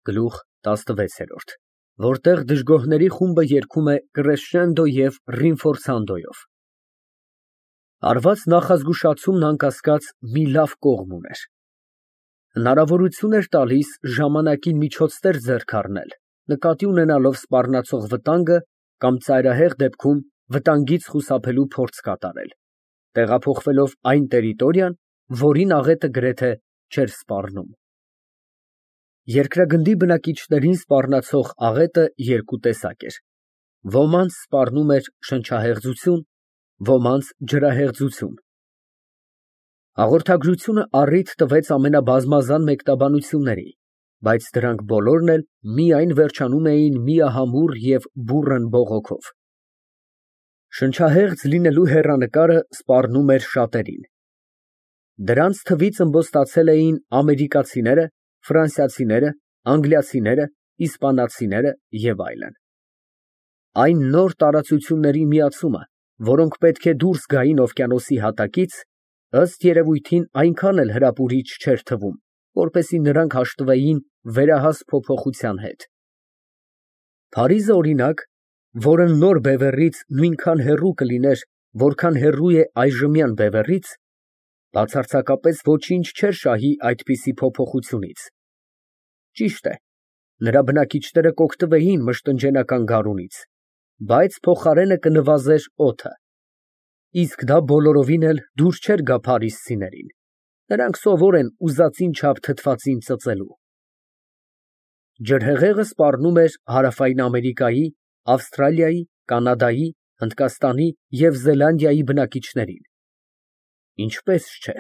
Գլուխ ՏԱՍՆՎԵՑԵՐՈՐԴ, որտեղ դժգոհների խումբը երգում է կռեսչենդո և ռինֆորցանդոյով։ Արված նախազգուշացումն անկասկած մի լավ կողմ ուներ. հնարավորություն էր տալիս ժամանակին միջոցներ ձեռք առնել, նկատի ունենալով սպառնացող վտանգը կամ ծայրահեղ դեպքում վտանգից խուսափելու փորձ կատարել, տեղափոխվելով այն տերիտորիան, որին աղետը գրեթե չէր սպառնում։ Երկրագնդի բնակիչներին սպառնացող աղետը երկու տեսակ էր. ոմանց սպառնում էր շնչահեղձություն, ոմանց ջրահեղձություն։ Հաղորդագրությունը առիթ տվեց ամենաբազմազան մեկնաբանությունների, բայց դրանք բոլորն էլ միայն վերջանում էին միահամուռ և բուռն բողոքով։ Շնչահեղձ լինելու հեռանկարը սպառնում էր շատերին։ Դրանց թվից ըմբոստացել էին ամերիկացիները, ֆրանսիացիները, անգլիացիները, իսպանացիները և այլն։ Այն նոր տարածությունների միացումը, որոնք պետք է դուրս գային օվկիանոսի հատակից, ըստ երևույթին այնքան էլ հրապուրիչ չէր թվում, որպեսզի նրանք հաշտվեին վերահաս փոփոխության հետ։ Փարիզը, օրինակ, որը նոր Բևեռից նույնքան հեռու կլիներ, որքան հեռու է այժմյան Բևեռից, բացարձակապես ոչինչ չէր շահի այդպիսի փոփոխությունից։ Ճիշտ է, նրա բնակիչները կօգտվեին մշտնջենական գարունից, բայց փոխարենը կնվազեր օդը։ Իսկ դա բոլորովին էլ դուր չէր գա փարիզցիներին, նրանք սովոր են ուզածին չափ թթվածին ծծելու։ Ջրհեղեղը սպառնում էր Հարավային Ամերիկայի, Ավստրալիայի, Կանադայի, Հնդկաստանի և Զելանդիայի բնակիչներին։ Ինչպես չէ։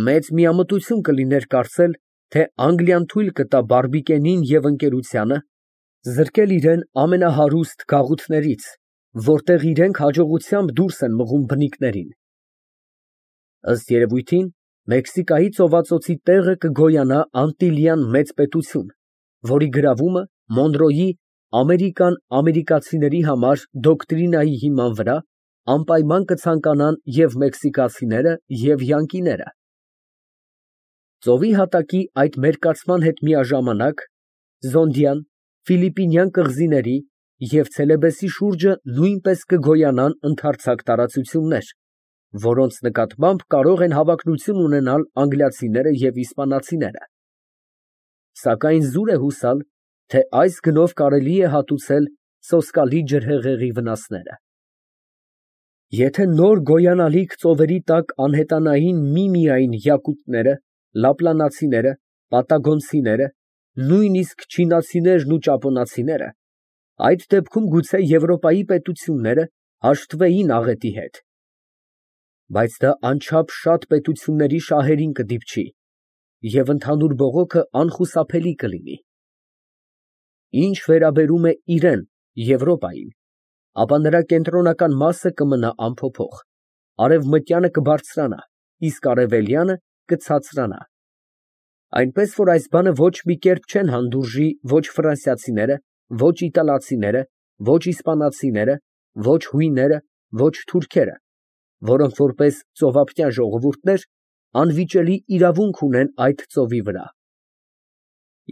Մեծ միամտություն կլիներ կարծել, թե Անգլիան թույլ կտա Բարբիկենին և ընկերությանը զրկել իրեն ամենահարուստ գաղութներից, որտեղ իրենք հաջողությամբ դուրս են մղում բնիկներին։ Ըստ երևույթին, Մեքսիկայի ծովածոցի տեղը կգոյանա անտիլյան մեծ պետություն, որի գրավումը Մոնրոյի «Ամերիկան ամերիկացիների համար» դոկտրինայի հիման վրա անպայման կցանկանան և մեքսիկացիները, և յանկիները։ Ծովի հատակի այդ մերկացման հետ միաժամանակ Զոնդյան, Ֆիլիպինյան կղզիների և Ցելեբեսի շուրջը նույնպես կգոյանան ընդարձակ տարածություններ, որոնց նկատմամբ կարող են հավակնություն ունենալ անգլիացիները և իսպանացիները։ Սակայն զուր է հուսալ, թե այս գնով կարելի է հատուցել սոսկալի ջրհեղեղի վնասները։ Եթե նոր գոյանալիք ծովերի տակ անհետանային միմիային յակուտները, լապլանացիները, պատագոնցիները, նույնիսկ չինացիներն ու ճապոնացիները, այդ դեպքում գուցե Եվրոպայի պետությունները հաշտվեին աղետի հետ։ Բայց դա անչափ շատ պետությունների շահերին կդիպչի, և ընդհանուր բողոքը անխուսափելի կլինի։ Ինչ վերաբերում է իրան, Եվրոպային, ապա նրա կենտրոնական մասը կմնա անփոփոխ, արևմտյանը կբարձրանա, իսկ արևելյանը կցածրանա։ Այնպես որ այս բանը ոչ մի կերպ չեն հանդուրժի ոչ ֆրանսիացիները, ոչ իտալացիները, ոչ իսպանացիները, ոչ հույները, ոչ թուրքերը, որոնք որպես ծովափնյա ժողովուրդներ անվիճելի իրավունք ունեն այդ ծովի վրա։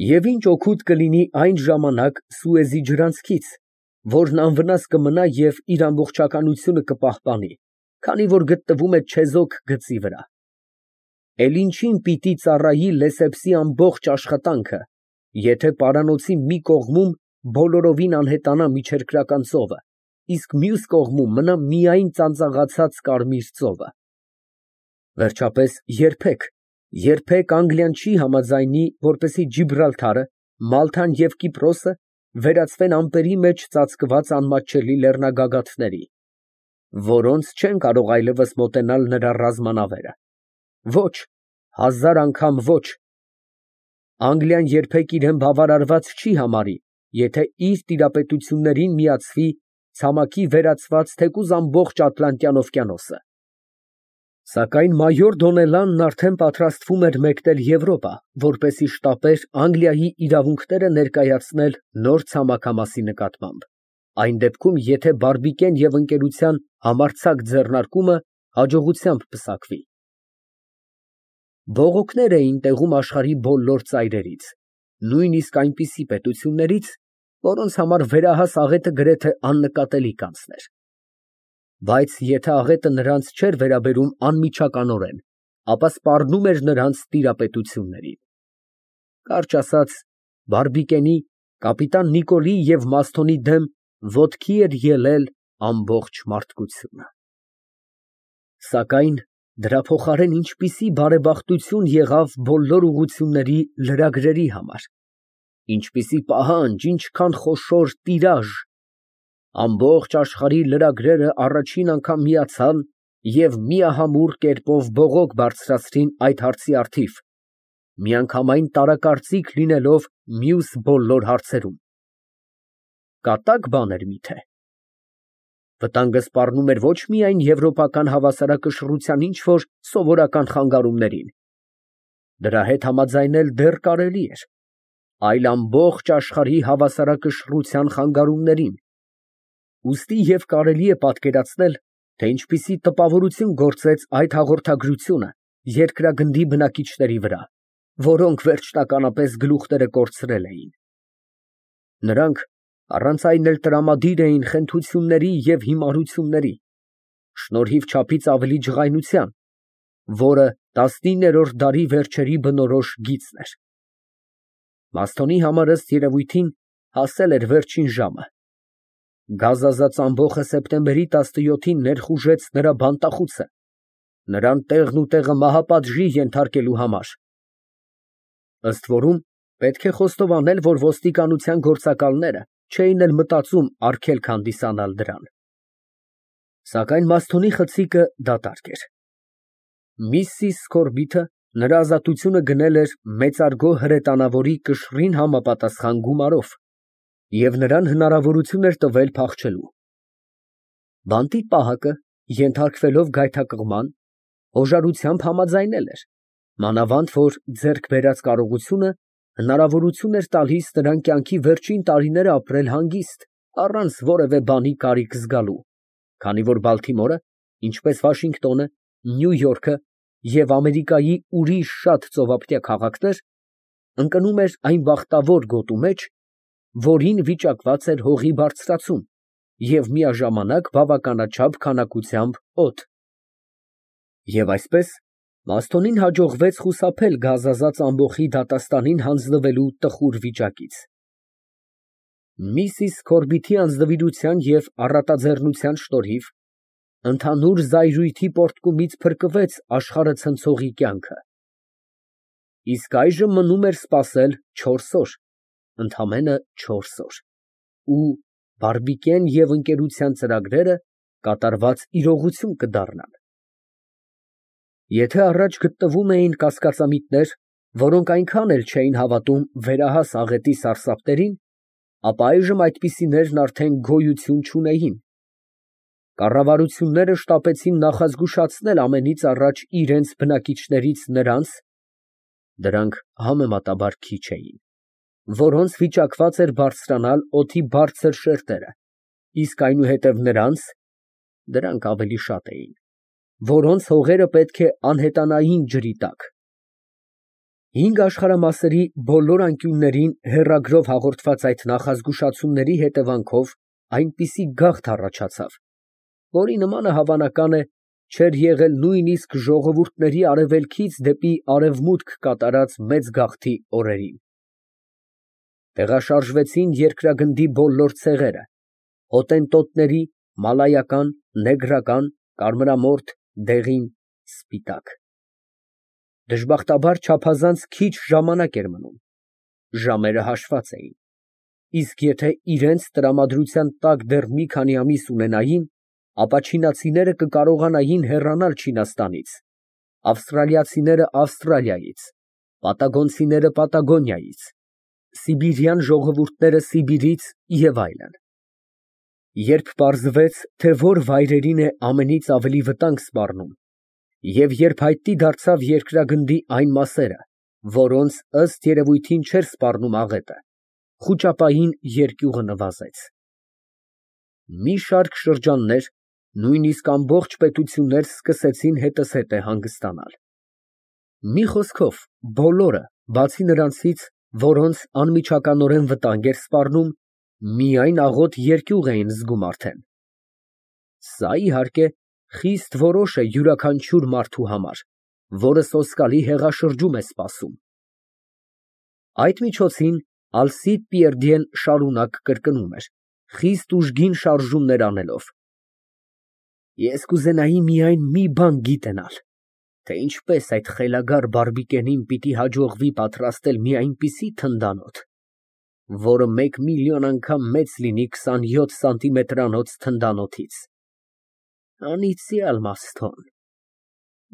Եվ ինչ օգուտ կլինի այն ժամանակ Սուեզի ջրանցքից, որն անվնաս կմնա և իր ամբողջականությունը կպահպանի, քանի որ գտնվում է չեզոք գծի վրա։ Էլ ինչին պիտի ծառայի Լեսեփսի ամբողջ աշխատանքը, եթե պարանոցի մի կողմում բոլորովին անհետանա միջերկրական ծովը, իսկ մյուս կողմում մնա միայն ծանծաղացած կարմիր ծովը։ Վերջապես, երբեք Անգլիան չի համաձայնի, որպեսզի Ջիբրալթարը, Մալթան և Կիպրոսը վերածվեն ամպերի մեջ ծածկված անմատչելի լեռնագագաթների, որոնց չեն կարող այլևս մոտենալ նրա ռազմանավերը։ Ոչ, հազար անգամ ոչ։ Անգլիան երբեք իրան բավարարված չի համարի, եթե իր տիրապետություններին միացվի ցամաքի վերածված թեկուզ ամբողջ Ատլանտյան օվկիանոսը։ Սակայն մայոր Դոնելանն արդեն պատրաստվում էր մեկնել Եվրոպա, որպեսզի շտապեր Անգլիայի իրավունքները ներկայացնել նոր ցամաքամասի նկատմամբ, այն դեպքում, եթե Բարբիկեն և ընկերության համարձակ ձեռնարկումը հաջողությամբ պսակվի։ Բողոքներ էին տեղում աշխարհի բոլոր ծայրերից, նույնիսկ այնպիսի պետություններից, որոնց համար վերահաս աղետը գրեթե աննկատելի կանցներ։ Բայց եթե աղետը նրանց չէր վերաբերում անմիջականորեն, ապա սպառնում էր նրանց տիրապետություններին։ Կարճ ասած, Բարբիկենի, կապիտան Նիկոլի և Մասթոնի դեմ ոտքի էր ելել ամբողջ մարդկությունը։ Սակայն դրա փոխարեն ինչպիսի բարեբախտություն եղավ բոլոր ուղղությունների լրագրերի համար, ինչպիսի պահանջ, ինչքան խոշոր տիրաժ, ամբողջ աշխարհի լրագրերը առաջին անգամ միացան և միահամուռ կերպով բողոք բարձրացրին այդ հարցի առթիվ, միանգամայն տարակարծիք լինելով մյուս բոլոր հարցերում։ Կատակ բան էր միթե։ Վտանգը սպառնում էր ոչ միայն եվրոպական հավասարակշռության ինչ֊որ սովորական խանգարումներին, դրա հետ համաձայնել դեռ կարելի էր, այլ ամբողջ աշխարհի հավասարակշռության խանգարումներին, ուստի և կարելի է պատկերացնել, թե ինչպիսի տպավորություն գործեց այդ հաղորդագրությունը երկրագնդի բնակիչների վրա, որոնք վերջնականապես գլուխները կորցրել էին։ Նրանք առանց այն էլ տրամադիր էին խենթությունների և հիմարությունների, շնորհիվ չափից ավելի ջղայնության, որը 19-րդ դարի վերջերի բնորոշ գիծն էր։ Մասթոնի համար ըստ երևույթին հասել էր վերջին ժամը։ Գազազած ամբոխը սեպտեմբերի 17-ին ներխուժեց նրա բանտախուցը, նրան տեղն ու տեղը մահապատժի ենթարկելու համար։ Ըստ որում, պետք է խոստովանել, որ ոստիկանության գործակալները չէին էլ մտածում արգելք հանդիսանալ դրան։ Սակայն Մասթոնի խցիկը դատարկ էր։ Միսիս Սքորբիթը նրա ազատությունը գնել էր մեծարգո հրետանավորի կշռին համապատասխան գումարով և նրան հնարավորություն էր տվել փախչելու։ Բանտի պահակը, ենթարկվելով գայթակղման, հոժարությամբ համաձայնել էր, մանավանդ որ ձեռք բերած կարողությունը հնարավորություն էր տալիս նրան կյանքի վերջին տարիները ապրել հանգիստ, առանց որևէ բանի կարիք զգալու, քանի որ Բալթիմորը, ինչպես Վաշինգտոնը, Նյու Յորքը և Ամերիկայի ուրիշ շատ ծովափնյա քաղաքներ, ընկնում էր այն բախտավոր գոտու մեջ, որին վիճակված էր հողի բարձրացում և միաժամանակ բավականաչափ քանակությամբ օդ։ Եվ այսպես, Մասթոնին հաջողվեց խուսափել գազազած ամբոխի դատաստանին հանձնվելու տխուր վիճակից։ Միսիս Սքորբիթի անձնվիրության և առատաձեռնության շնորհիվ ընդհանուր զայրույթի պոռթկումից փրկվեց աշխարհը ցնցողի կյանքը։ Իսկ այժմ մնում էր սպասել 4 օր, ընդամենը 4 օր, ու Բարբիկեն և ընկերության ծրագրերը կատարված իրողություն կդառնան։ Եթե առաջ գտնվում էին կասկածամիտներ, որոնք այնքան էլ չէին հավատում վերահաս աղետի սարսափներին, ապա այժմ այդպիսիներն արդեն գոյություն չունեին։ Կառավարությունները շտապեցին նախազգուշացնել ամենից առաջ իրենց բնակիչներից նրանց (դրանք համեմատաբար քիչ էին), որոնց վիճակված էր բարձրանալ օդի բարձր շերտերը, իսկ այնուհետև նրանց (դրանք ավելի շատ էին), որոնց հողերը պետք է անհետանային ջրի տակ։ 5 աշխարհամասերի բոլոր անկյուններին հեռագրով հաղորդված այդ նախազգուշացումների հետևանքով այնպիսի գաղթ առաջացավ, որի նմանը հավանական է չէր եղել նույնիսկ ժողովուրդների արևելքից դեպի արևմուտք կատարած մեծ գաղթի օրերին։ Տեղաշարժվեցին երկրագնդի բոլոր ցեղերը, հոտենտոտների, մալայական, նեգրական, կարմրամորթ, դեղին, սպիտակ։ Դժբախտաբար չափազանց քիչ ժամանակ էր մնում, ժամերը հաշված էին, իսկ եթե իրենց տրամադրության տակ դեռ մի քանի ամիս ունենային, ապա չինացիները կկարողանային հեռանալ Չինաստանից, ավստրալիացիները Ավստրալիայից, պատագոնցիները Պատագոնիայից, սիբիրյան ժողովուրդները Սիբիրից և այլն։ Երբ պարզվեց, թե որ վայրերին է ամենից ավելի վտանգ սպառնում, և երբ հայտնի դարձավ երկրագնդի այն մասերը, որոնց ըստ երևույթին չէր սպառնում աղետը, խուճապային երկյուղը նվազեց։ Մի շարք շրջաններ, նույնիսկ ամբողջ պետություններ սկսեցին հետզհետե հանգստանալ։ Մի խոսքով, բոլորը, բացի նրանցից, որոնց անմիջականորեն վտանգ էր սպառնում, միայն աղոտ երկյուղ էին զգում արդեն։ Սա, իհարկե, խիստ որոշ է յուրաքանչյուր մարդու համար, որը սոսկալի հեղաշրջում է սպասում։ Այդ միջոցին Ալսիդ Պիերդիեն շարունակ կրկնում էր, խիստ ուժգին շարժումներ անելով. Ես կուզենայի միայն մի բան գիտենալ, թե ինչպես այդ խելագար բարբիկենին պիտի հաջողվի պատրաստել մի այնպիսի թնդանոթ, որը 1 միլիոն անգամ մեծ լինի 27 սանտիմետրանոց թնդանոթից։ Անիծյալ Մասթոն,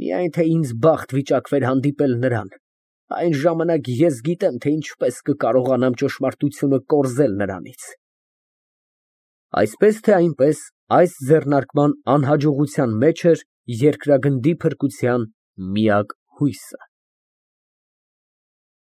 միայն թե ինձ բախտ վիճակվեր հանդիպել նրան, այն ժամանակ ես գիտեմ, թե ինչպես կկարողանամ ճշմարտությունը կորզել նրանից։ Այսպես թե այնպես, այս ձեռնարկման անհաջողության մեջ էր երկրագնդի փրկության միակ հույսը։